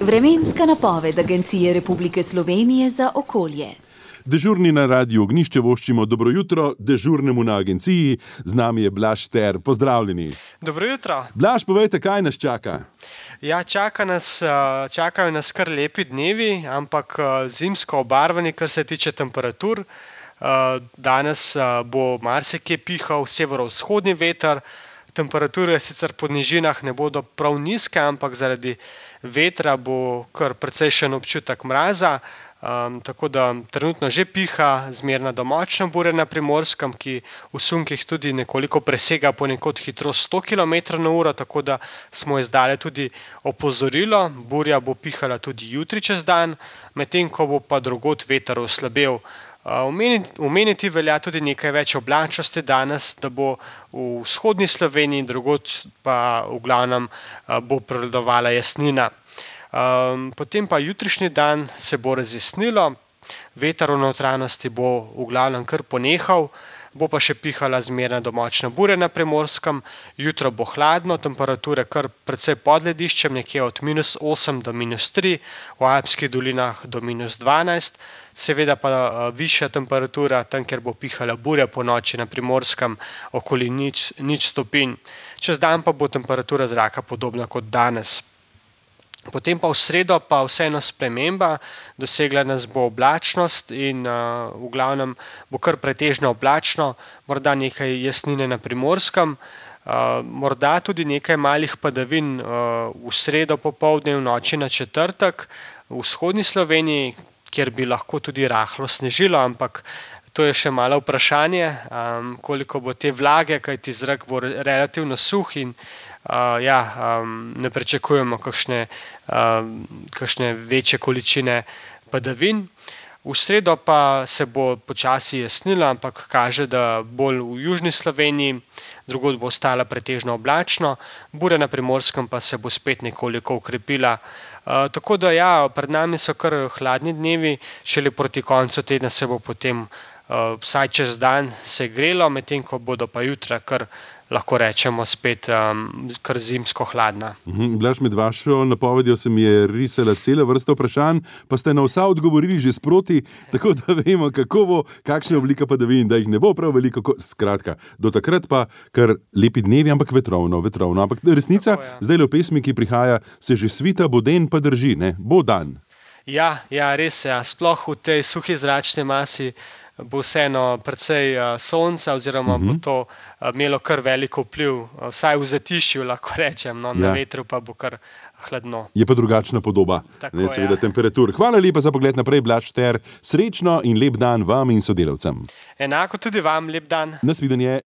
Vremenska napoved Agencije Republike Slovenije za okolje. Dežurni na Radiu Ognjišče voščimo dobro jutro dežurnemu na agenciji. Z nami je Blaž Šter. Pozdravljeni. Dobro jutro. Blaž, povejte, kaj nas čaka? Ja, čakajo nas kar lepi dnevi, ampak zimsko obarvani, kar se tiče temperatur. Danes bo marsikje pihal severovzhodni veter. Temperature sicer po nižinah ne bodo prav nizke, ampak zaradi vetra bo kar precejšen občutek mraza. Tako da trenutno že piha zmerna do močna burja na Primorskem, ki v sunkih tudi nekoliko presega ponekod hitrost 100 km/h, tako da smo izdali tudi opozorilo. Burja bo pihala tudi jutri čez dan, medtem ko bo pa drugod veter oslabel. Omeniti velja tudi nekaj več oblačnosti danes, da bo v vzhodni Sloveniji, drugod pa v glavnem bo prevladovala jasnina. Potem pa jutrišnji dan se bo razjasnilo, veter v notranjosti bo v glavnem kar ponehal, bo pa še pihala zmerna do močna burja na Primorskem. Jutro bo hladno, temperature kar precej pod lediščem, nekje od -8 do -3, v Alpskih dolinah do -12. Seveda pa višja temperatura, tam kjer bo pihala burja po noči na Primorskem, okoli 0 stopinj. Čez dan pa bo temperatura zraka podobna kot danes. Potem pa v sredo pa vseeno sprememba, dosegla nas bo oblačnost in v glavnem bo kar pretežno oblačno, morda nekaj jasnine na Primorskem, morda tudi nekaj malih padavin v sredo popoldne, v noči na četrtek, v vzhodni Sloveniji, kjer bi lahko tudi rahlo snežilo, ampak to je še malo vprašanje, koliko bo te vlage, kajti zrak bo relativno suh in ne pričakujemo kakšne večje količine padavin. V sredo pa se bo počasi jasnilo, ampak kaže, da bolj v južni Sloveniji, drugod bo ostala pretežno oblačno, burja na Primorskem pa se bo spet nekoliko okrepila. Tako da pred nami so kar hladni dnevi, šele proti koncu tedna se bo potem vsaj čez dan segrelo, medtem ko bodo pa jutra kar lahko rečemo spet kar zimsko hladna. Blaž, med vašo napovedjo se mi je risala cela vrsta vprašanj, pa ste na vsa odgovorili že sproti, tako da vemo, kako bo, kakšna oblika padavin, da jih ne bo prav veliko. Skratka, do takrat pa kar lepi dnevi, ampak vetrovno. Ampak resnica, zdaj v pesmi, ki prihaja, se že svita, bo den pa drži, ne? Bo dan. Ja, res je. Sploh v tej suhi zračni masi bo vseeno precej sonca oziroma bo to imelo kar veliko vpliv, vsaj v zatišju lahko rečem, na vetru pa bo kar hladno. Je pa drugačna podoba, seveda temperatur. Hvala lepa za pogled naprej, Blaž Šter. Srečno in lep dan vam in sodelavcem. Enako tudi vam, lep dan. Nasvidenje.